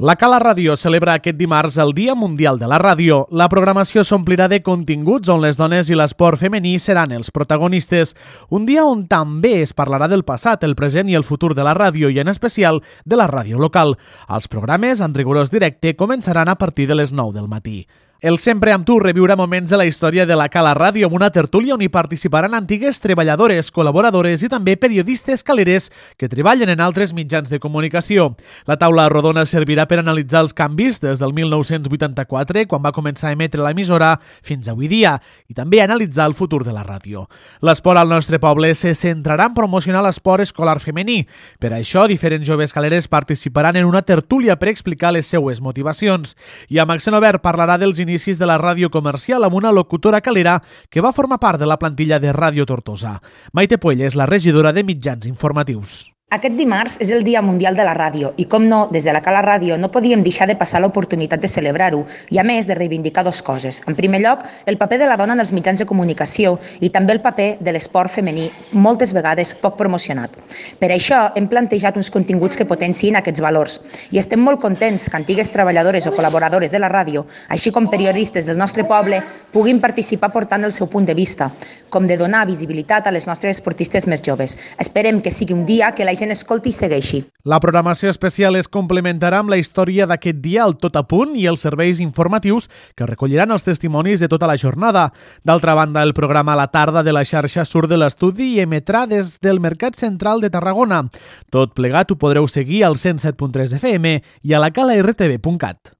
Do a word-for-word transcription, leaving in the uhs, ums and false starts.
La Cala Ràdio celebra aquest dimarts el Dia Mundial de la Ràdio. La programació s'omplirà de continguts on les dones i l'esport femení seran els protagonistes. Un dia on també es parlarà del passat, el present i el futur de la ràdio i en especial de la ràdio local. Els programes en rigorós directe començaran a partir de les nou del matí. El Sempre amb tu reviurà moments de la història de la Cala Ràdio amb una tertúlia on hi participaran antigues treballadores, col·laboradores i també periodistes caleres que treballen en altres mitjans de comunicació. La taula rodona servirà per analitzar els canvis des del mil nou-cents vuitanta-quatre, quan va començar a emetre l'emissora, fins avui dia, i també analitzar el futur de la ràdio. L'esport al nostre poble se centrarà en promocionar l'esport escolar femení. Per això, diferents joves caleres participaran en una tertúlia per explicar les seues motivacions. I amb accent obert parlarà dels inicis inicis de la ràdio comercial amb una locutora calera que va formar part de la plantilla de Ràdio Tortosa. Maite Puell és la regidora de mitjans informatius. Aquest dimarts és el Dia Mundial de la Ràdio i, com no, des de la Cala Ràdio no podíem deixar de passar l'oportunitat de celebrar-ho i, a més, de reivindicar dues coses. En primer lloc, el paper de la dona en els mitjans de comunicació i també el paper de l'esport femení, moltes vegades poc promocionat. Per això hem plantejat uns continguts que potenciïn aquests valors i estem molt contents que antigues treballadores o col·laboradores de la ràdio, així com periodistes del nostre poble, puguin participar portant el seu punt de vista, com de donar visibilitat a les nostres esportistes més joves. Esperem que sigui un dia que la gent escolti i segueixi. La programació especial es complementarà amb la història d'aquest dia al Tot a Punt i els serveis informatius que recolliran els testimonis de tota la jornada. D'altra banda, el programa a la tarda de la xarxa surt de l'estudi i emetrà des del Mercat Central de Tarragona. Tot plegat ho podreu seguir al cent set punt tres F M i a la cala r t v punt cat.